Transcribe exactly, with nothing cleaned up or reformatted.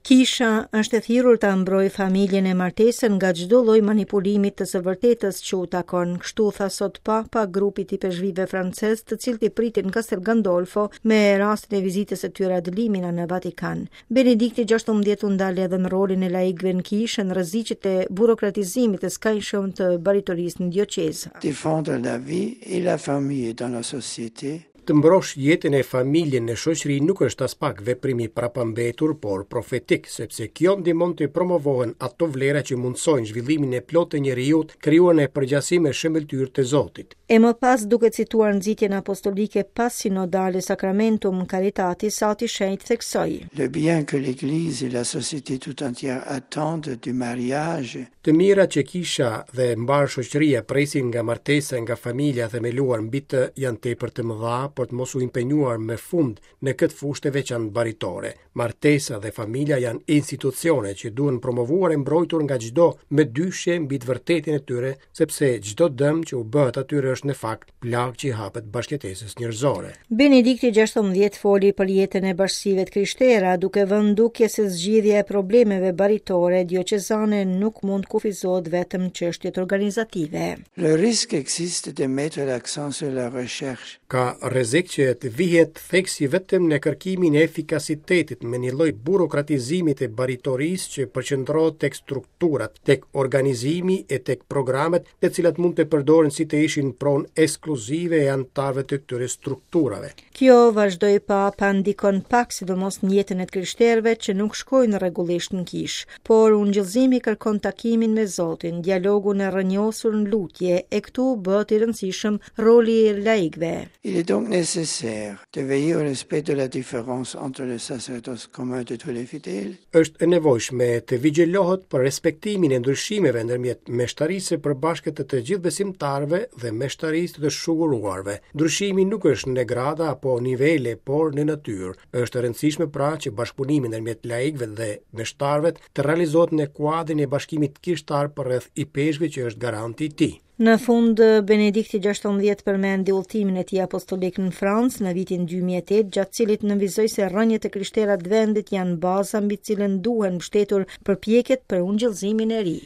Kisha është e thirrur ta mbrojë familjen e martesën nga çdo lloj manipulimi të së vërtetës që u takon. Kështu tha sot Papa grupit i ipeshkvijve francez, të cilët i pritën në Castel Gandolfo me rastin e vizitës së tyre ad limina në Vatikan. Benedikti gjashtëmbëdhjetë u ndal edhe në rolin e laikëve në kishë, në rreziqet e burokratizimit të skajshëm të baritorisë në dioqezë. Défendre la vie et la famille dans la société. Të mbrosh jetën e familjen në shoqëri nuk është aspak veprim i prapambetur, por profetik, sepse kjo ndihmon të promovohen ato vlera që mundësojnë zhvillimin e plotë të njeriut, krijuar në përgjasim e shëmbëlltyrë të Zotit. E më pas, duke cituar nxitjen apostolike pas sinodale Sacramentum Caritatis, Ati Shenjt theksoi: Le bien que l'Église et la société tout entière attendent du mariage. Të mira që kisha dhe mbarë shoqëria presin nga martesa e nga familja themeluar mbi të janë tepër të mëdha për të mos u impenjuar me fund në këtë fushë të veçantë baritore. Martesa dhe familja janë institucione që duhen promovuar e mbrojtur nga çdo mëdyshje mbi të vërtetën e tyre, sepse çdo dëm që u bëhet atyre është në fakt plagë që i hapet bashkëjetesës njerëzore. Benedikti gjashtëmbëdhjetë foli për jetën e bashkësive të krishtera, duke vënë dukje se zgjidhja e problemeve baritore dioqezane nuk mund të kufizohet vetëm në çështjet organizative. Le risque existe de mettre l'accent sur la recherche. Ka rrezik që të vihet theksi vetëm në kërkimin e efikasitetit me një lloj burokratizimi të baritorisë që përqendrohet tek strukturat, tek organizimi e tek programet, të cilat mund të përdoren si të ishin pronë ekskluzive e anëtarëve të këtyre strukturave. Kjo, vazhdoi Papa, ndikon pak sidomos në jetën e të krishterëve që nuk shkojnë rregullisht në kishë, por ungjillzimi kërkon takimin me Zotin, dialogun e rrënjosur në lutje, e këtu bëhet i rëndësishëm roli i laikëve. Il est donc nécessaire de veiller au respect de la différence entre le sacerdoce commun de tous les fidèles. Është e nevojshme të vigjilohet për respektimin e ndryshimeve ndërmjet meshtarisë së përbashkët të të gjithë besimtarëve dhe meshtarisë të shuguruarve. Ndryshimi nuk është në grada apo nivele, por në natyrë. Është e rëndësishme pra që bashkëpunimi ndërmjet laikëve dhe meshtarëve të realizohet në kuadrin e bashkimit kishtar përreth ipeshkvit që është garanti i tij. Në fund, Benedikti gjashtëmbëdhjetë përmendi udhëtimin e tij apostolik në Francë në vitin dy mijë e tetë, gjatë cilit nënvizoi se rrënjët e krishtera të vendit janë baza mbi cilën duhen mbështetur përpjekjet për ungjillëzimin e ri.